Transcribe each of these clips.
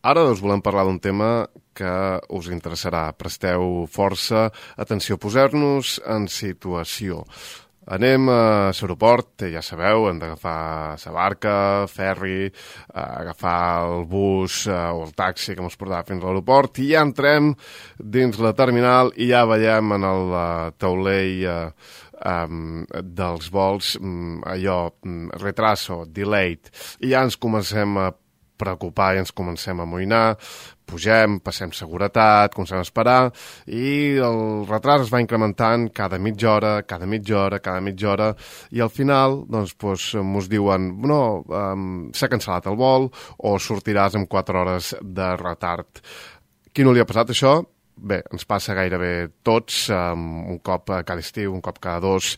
Ara us volem parlar d'un tema que us interessarà. Presteu força atenció, posar-nos en situació. Anem a l'aeroport, ja sabeu, hem d'agafar la barca, ferri, agafar el bus o el taxi que ens portarà fins a l'aeroport i ja entrem dins la terminal i ja veiem en el taulell dels vols allò, retraso, delayed, i ja ens comencem a preocupar i ens comencem a amoïnar, pugem, passem seguretat, comencem a esperar i el retras es va incrementant cada mitja hora i al final mos diuen no, s'ha cancel·lat el vol o sortiràs amb 4 hores de retard. Qui no li ha passat això? Bé, ens passa gairebé tots, un cop cada estiu, un cop cada 2,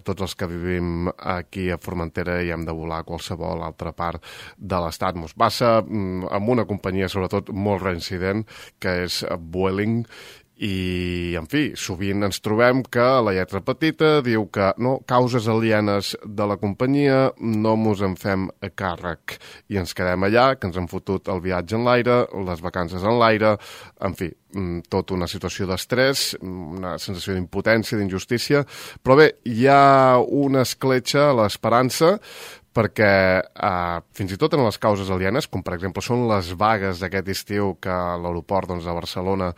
tots els que vivim aquí a Formentera i hem de volar a qualsevol altra part de l'estat. Ens passa amb una companyia, sobretot, molt reincident, que és Vueling, i, en fi, sovint ens trobem que la lletra petita diu que no, causes alienes de la companyia, no mos en fem a càrrec. I ens quedem allà, que ens han fotut el viatge en l'aire, les vacances en l'aire, en fi, tota una situació d'estrès, una sensació d'impotència, d'injustícia, però bé, hi ha una escletxa a l'esperança, perquè fins i tot en les causes alienes, com per exemple són les vagues d'aquest estiu que l'aeroport de Barcelona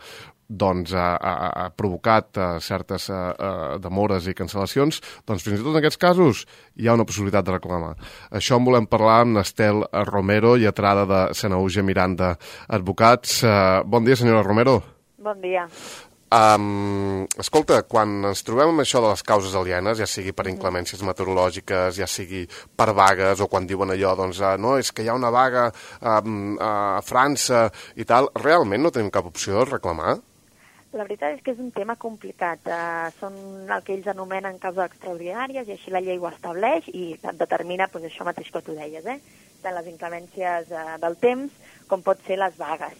ha provocat certes demores i cancel·lacions, doncs fins i tot en aquests casos hi ha una possibilitat de reclamar. Això en volem parlar amb Estel Romero, lletrada de Sanahuja Miranda Advocats. Bon dia, senyora Romero. Bon dia. Escolta, quan ens trobem amb això de les causes alienes, ja sigui per inclemències meteorològiques, ja sigui per vagues, o quan diuen allò, doncs, no, és que hi ha una vaga a França i tal, realment no tenim cap opció de reclamar? La veritat és que és un tema complicat. Són el que ells anomenen causes extraordinàries i així la llei ho estableix i determina això mateix que tu deies, tant les inclemències del temps com pot ser les vagues.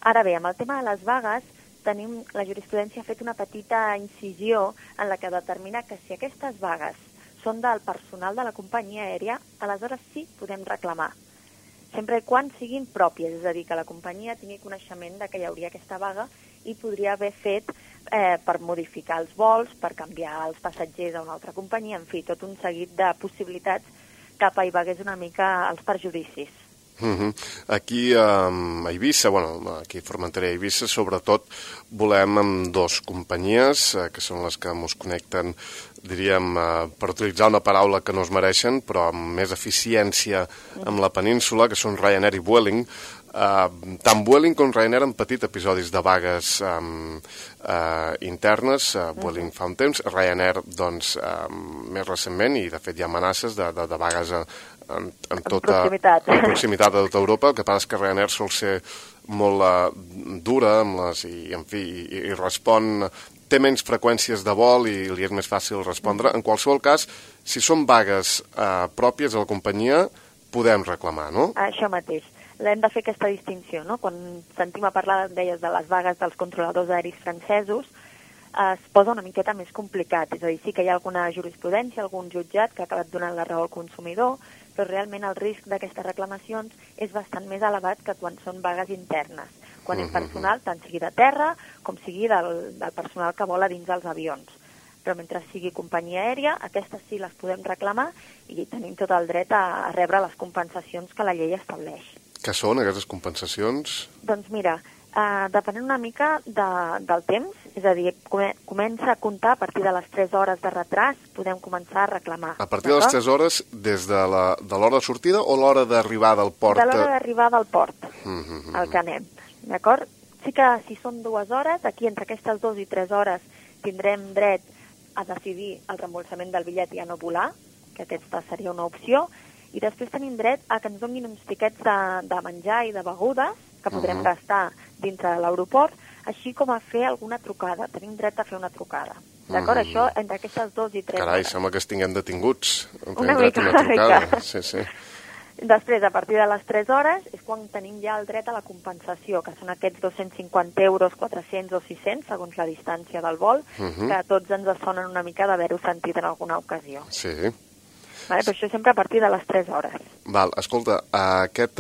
Ara bé, amb el tema de les vagues, la jurisprudència ha fet una petita incisió en la que determina que si aquestes vagues són del personal de la companyia aèria, aleshores sí podem reclamar, sempre i quan siguin pròpies, és a dir, que la companyia tingui coneixement de que hi hauria aquesta vaga i podria haver fet per modificar els vols, per canviar els passatgers a una altra companyia, en fi, tot un seguit de possibilitats que apaivagués una mica els perjudicis. Aquí a Eivissa, aquí a Formentera i Eivissa, sobretot volem amb 2 companyies, que són les que ens connecten, diríem, per utilitzar una paraula que no es mereixen, però amb més eficiència amb la península, que són Ryanair i Vueling. Tant Vueling com Ryanair han patit episodis de vagues internes, Vueling fa un temps, Ryanair, doncs, més recentment, i de fet hi ha amenaces de vagues en proximitat de tota Europa. El que passa és que Ryanair sol ser molt dura amb i respon, té menys freqüències de vol i li és més fàcil respondre. En qualsevol cas, si són vagues pròpies de la companyia, podem reclamar, no? Això mateix. Hem de fer aquesta distinció, no? Quan sentim a parlar, deies, de les vagues dels controladors aeris francesos, es posa una miqueta més complicat. És a dir, sí que hi ha alguna jurisprudència, algun jutjat que ha acabat donant la raó al consumidor, però realment el risc d'aquestes reclamacions és bastant més elevat que quan són vagues internes, quan és personal, tant sigui de terra com sigui del personal que vola dins dels avions. Però mentre sigui companyia aèria, aquestes sí les podem reclamar i tenim tot el dret a rebre les compensacions que la llei estableix. Què són aquestes compensacions? Doncs mira, depenent una mica del temps, és a dir, comença a comptar a partir de les 3 hores de retras, podem començar a reclamar. A partir de les 3 hores, des de l'hora de sortida o l'hora d'arribar del port? De l'hora d'arribar del port, al que anem, d'acord? Sí que si són 2 hores, aquí entre aquestes 2 i 3 hores tindrem dret a decidir el reembolsament del bitllet i a no volar, que aquesta seria una opció, i després tenim dret a que ens donin uns tiquets de menjar i de begudes que podrem gastar dintre de l'aeroport, així com a fer alguna trucada. Tenim dret a fer una trucada. D'acord? Això entre aquestes 2 i 3 hores. Carai, sembla que estiguem detinguts. Una mica. Sí. Després, a partir de les 3 hores, és quan tenim ja el dret a la compensació, que són aquests 250 euros, 400 o 600, segons la distància del vol, que a tots ens sonen una mica d'haver-ho sentit en alguna ocasió. Sí. Vale? Però això sempre a partir de les 3 hores. Val, escolta, aquest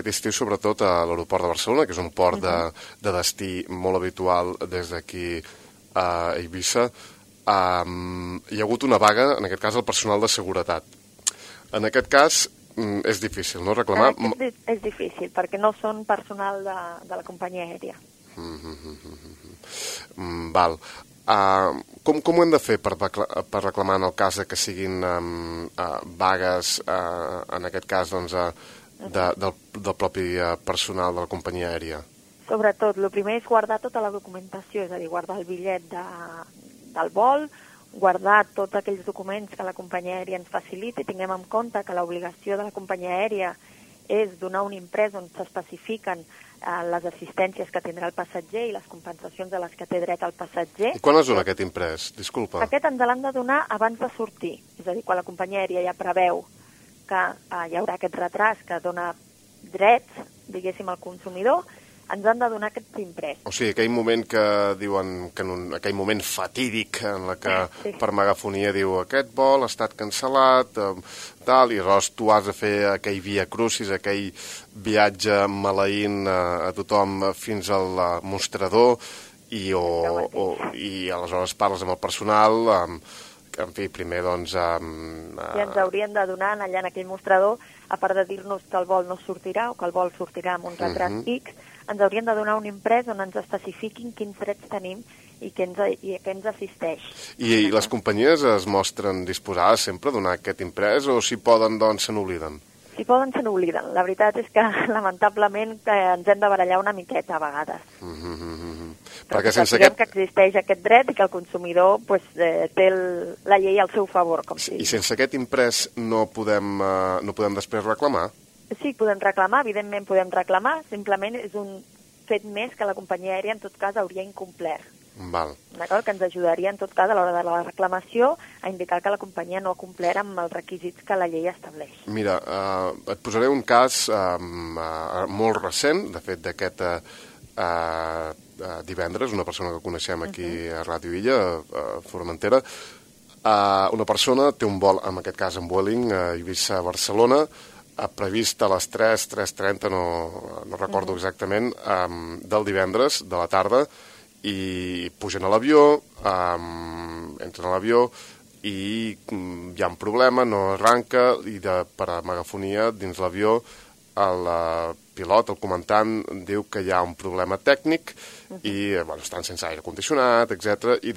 estiu, sobretot a l'aeroport de Barcelona, que és un port de destí molt habitual des d'aquí a Eivissa, hi ha hagut una vaga, en aquest cas, al personal de seguretat. En aquest cas, és difícil, no?, reclamar... És difícil, perquè no són personal de la companyia aèria. Val. Com ho hem de fer per reclamar en el cas que siguin vagues, en aquest cas, doncs, del propi personal de la companyia aèria? Sobretot, el primer és guardar tota la documentació, és a dir, guardar el bitllet del vol, guardar tots aquells documents que la companyia aèria ens faciliti. Tinguem en compte que l'obligació de la companyia aèria és donar un imprès on s'especifiquen les assistències que tindrà el passatger i les compensacions a les que té dret el passatger. I quan es dona aquest imprès? Disculpa. Aquest ens l'han de donar abans de sortir, és a dir, quan la companyia aèria ja preveu que hi haurà aquest retras que dona drets, diguéssim, al consumidor, ens han de donar aquest imprès. O sigui, aquell moment que diuen, aquell moment fatídic en la que per megafonia diu aquest vol ha estat cancel·lat, tal, i llavors tu has de fer aquell via crucis, aquell viatge maleint a tothom fins al mostrador i aleshores parles amb el personal, en fi, primer, doncs... I ens haurien de donar allà en aquell mostrador, a part de dir-nos que el vol no sortirà o que el vol sortirà amb un retras X, ens haurien de donar un imprès on ens especifiquin quins drets tenim i què ens assisteix. I les companyies es mostren disposades sempre a donar aquest imprès o si poden, doncs, se n'obliden? Si poden, se n'obliden. La veritat és que, lamentablement, ens hem de barallar una miqueta a vegades. Perquè sapiguem que existeix aquest dret i que el consumidor té la llei al seu favor. I sense aquest imprès no podem després reclamar? Sí, podem reclamar, evidentment podem reclamar, simplement és un fet més que la companyia aèria en tot cas hauria incomplert. Val. D'acord? Que ens ajudaria en tot cas a l'hora de la reclamació a indicar que la companyia no ha complert amb els requisits que la llei estableix. Mira, et posaré un cas molt recent, de fet d'aquest divendres, una persona que coneixem aquí a Ràdio Illa, a Formentera, una persona té un vol, en aquest cas en Vueling, a Eivissa-Barcelona, previst a les 3:30, no recordo exactament, del divendres, de la tarda, i pugen a l'avió, entren a l'avió i hi ha un problema, no arranca, i per a megafonia dins l'avió el pilot, el comandant, diu que hi ha un problema tècnic i estan sense aire condicionat, etc. I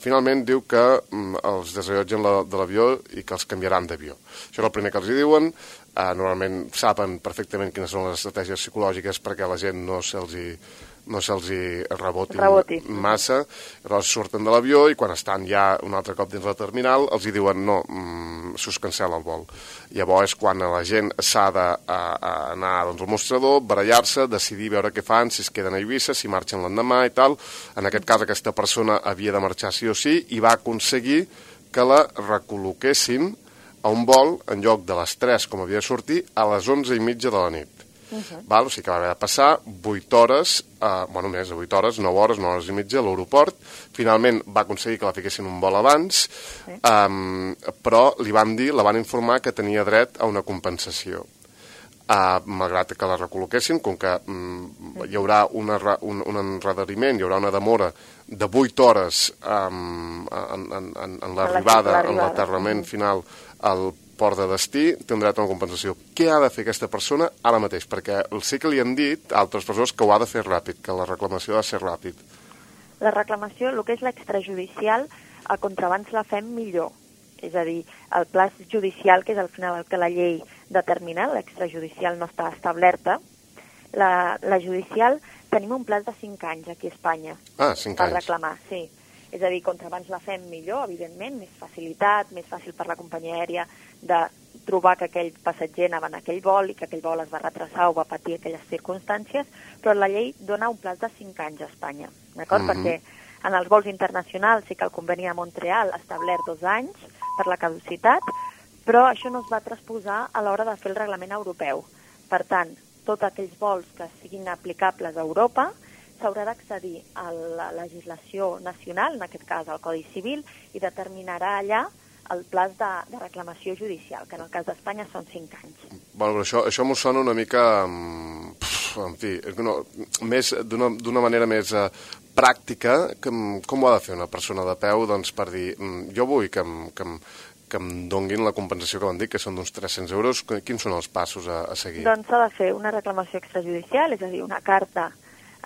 finalment diu que els desallotgen de l'avió i que els canviaran d'avió. Això és el primer que els hi diuen. Normalment saben perfectament quines són les estratègies psicològiques perquè la gent no se'ls reboti massa. Llavors surten de l'avió i quan estan ja un altre cop dins la terminal els hi diuen no, s'us cancel·la el vol. Llavors quan la gent s'ha d'anar al mostrador, barallar-se, decidir veure què fan, si es queden a Eivissa, si marxen l'endemà i tal. En aquest cas aquesta persona havia de marxar sí o sí i va aconseguir que la recol·loquessin a un vol, en lloc de les 3, com havia de sortir, a les 11:30 de la nit. O sigui que va haver de passar 8 hores, més de 8 hores, 9 hores, 9 hores i mitja a l'aeroport. Finalment va aconseguir que la fiquessin un vol abans, però la van informar que tenia dret a una compensació. Malgrat que la recol·loquessin, com que hi haurà un enredariment, hi haurà una demora de 8 hores en l'arribada, en l'aterrament final al port de destí, té un dret a una compensació. Què ha de fer aquesta persona ara mateix? Perquè sí que li han dit a altres persones que ho ha de fer ràpid, que la reclamació ha de ser ràpid. La reclamació, el que és l'extrajudicial, contra abans la fem millor. És a dir, el pla judicial, que és al final el que la llei determina, l'extrajudicial no està establerta, la judicial tenim un pla de 5 anys aquí a Espanya. 5 anys. Per reclamar, sí. És a dir, contra abans la fem millor, evidentment, més facilitat, més fàcil per la companyia aèria de trobar que aquell passatger anava en aquell vol i que aquell vol es va retrasar o va patir aquelles circumstàncies, però la llei dona un pla de 5 anys a Espanya, d'acord? Perquè en els vols internacionals sí que el conveni de Montreal ha establert 2 anys per la caducitat, però això no es va transposar a l'hora de fer el reglament europeu. Per tant, tots aquells vols que siguin aplicables a Europa s'haurà d'accedir a la legislació nacional, en aquest cas al Codi Civil, i determinarà allà el plaç de reclamació judicial, que en el cas d'Espanya són 5 anys. Bueno, però això m'ho sona una mica, en fi, d'una manera més pràctica. Com ho ha de fer una persona de peu per dir, jo vull que em donguin la compensació que van dir, que són d'uns 300 euros, quins són els passos a seguir? Doncs s'ha de fer una reclamació extrajudicial, és a dir, una carta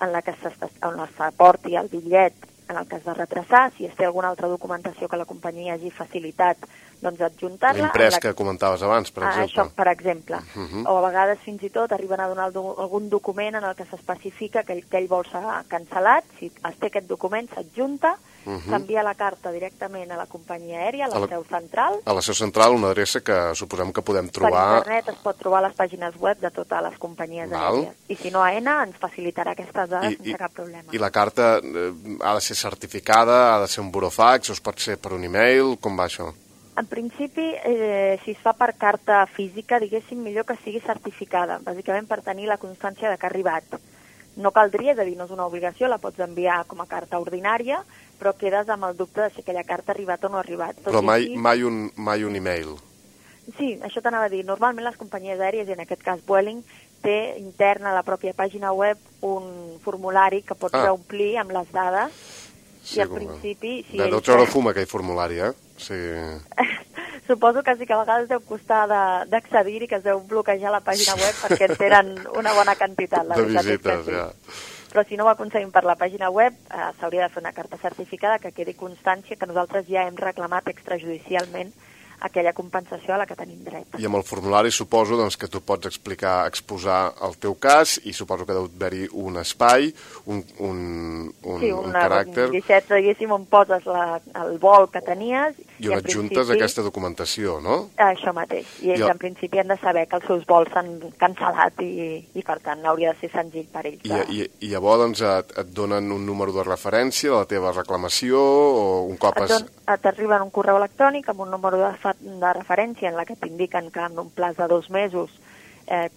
en la que s'aporti el bitllet en el cas de retrasar, si es té alguna altra documentació que la companyia hagi facilitat, doncs adjuntar-la. L'imprès que comentaves abans, per exemple. Això, per exemple. O a vegades fins i tot arriben a donar algun document en el que s'especifica que aquell vol ser cancel·lat. Si es té aquest document, s'adjunta, s'envia la carta directament a la companyia aèria, a la seu central. A la seu central, una adreça que suposem que podem trobar... Per internet es pot trobar a les pàgines web de totes les companyies aèries. I si no, AENA ens facilitarà aquestes dades sense cap problema. I la carta ha de ser certificada, ha de ser un burofax, o es pot ser per un e-mail? Com va això? En principi, si es fa per carta física, diguéssim, millor que sigui certificada, bàsicament per tenir la constància de que ha arribat. No caldria, és a dir, no és una obligació, la pots enviar com a carta ordinària, però quedes amb el dubte de si aquella carta ha arribat o no ha arribat. Però mai un e-mail. Sí, això t'anava a dir. Normalment les companyies aèries, i en aquest cas Vueling, té interna a la pròpia pàgina web un formulari que pots omplir amb les dades. Sí, i al principi... Deu treure fum aquell formulari, Sí. Suposo que sí que a vegades deu costar d'accedir i que es deu bloquejar la pàgina web perquè en tenen una bona quantitat. De visites, ja. Però si no ho aconseguim per la pàgina web, s'hauria de fer una carta certificada que quedi constància que nosaltres ja hem reclamat extrajudicialment aquella compensació a la que tenim dret. I amb el formulari suposo que tu pots exposar el teu cas i suposo que deu haver-hi un espai, un caràcter... Sí, un guixet, diguéssim, on poses el vol que tenies... I on adjuntes aquesta documentació, no? Això mateix. I ells en principi han de saber que els seus vols s'han cancel·lat i per tant hauria de ser senzill per ells. I llavors et donen un número de referència de la teva reclamació o un cop... T'arriba un correu electrònic amb un número de referència en la que t'indiquen que en un plaç de 2 mesos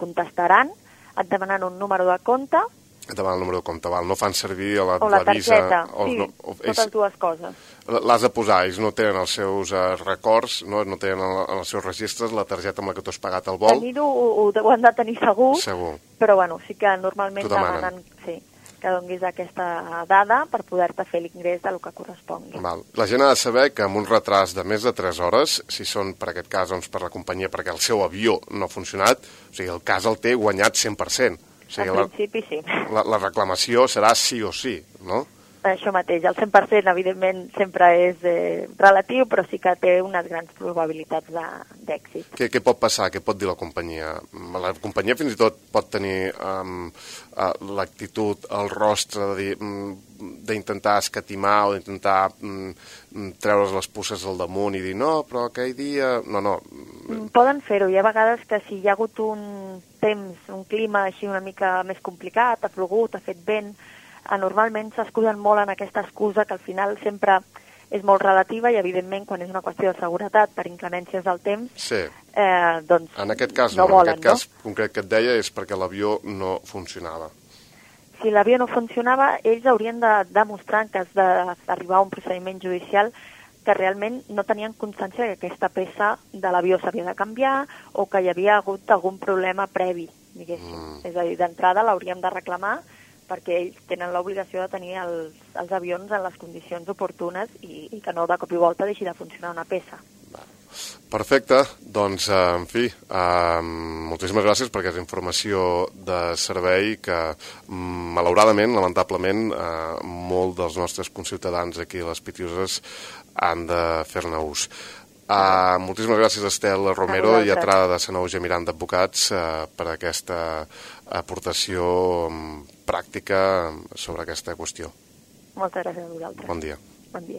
contestaran, et demanen un número de compte. Et demanen el número de compte, no fan servir la targeta, totes dues coses. L'has de posar, ells no tenen els seus records, no tenen en els seus registres la targeta amb la que tu has pagat el vol. Tenir-ho ho han de tenir segur, però sí que normalment demanen que donguis aquesta dada per poder-te fer l'ingrés del que correspongui. La gent ha de saber que amb un retras de més de 3 hores, si són per aquest cas per la companyia perquè el seu avió no ha funcionat, o sigui, el cas el té guanyat 100%. En principi sí. La reclamació serà sí o sí, no? Això mateix, el 100% evidentment sempre és relatiu, però sí que té unes grans probabilitats d'èxit. Què pot passar? Què pot dir la companyia? La companyia fins i tot pot tenir l'actitud, el rostre d'intentar escatimar o d'intentar treure's les puces al damunt i dir no, però aquell dia... No. Poden fer-ho. Hi ha vegades que si hi ha hagut un temps, un clima així una mica més complicat, ha plogut, ha fet vent, normalment s'escuden molt en aquesta excusa que al final sempre és molt relativa i evidentment quan és una qüestió de seguretat per inclemències del temps doncs en aquest cas no volen, en aquest cas concret que et deia és perquè l'avió no funcionava. Si l'avió no funcionava, ells haurien de demostrar en cas d'arribar a un procediment judicial que realment no tenien constància que aquesta peça de l'avió s'havia de canviar o que hi havia hagut algun problema previ, diguéssim. És a dir, d'entrada l'hauríem de reclamar perquè ells tenen l'obligació de tenir els avions en les condicions oportunes i que no de cop i volta deixi de funcionar una peça. Perfecte, doncs, en fi, moltíssimes gràcies per aquesta informació de servei que, malauradament, lamentablement, molt dels nostres conciutadans aquí a les Pitiuses han de fer-ne ús. Moltíssimes gràcies, Estel Romero, lletrada de Sanaúja Miranda Advocats, per aquesta aportació pràctica sobre aquesta qüestió. Moltes gràcies a vosaltres. Bon dia. Bon dia.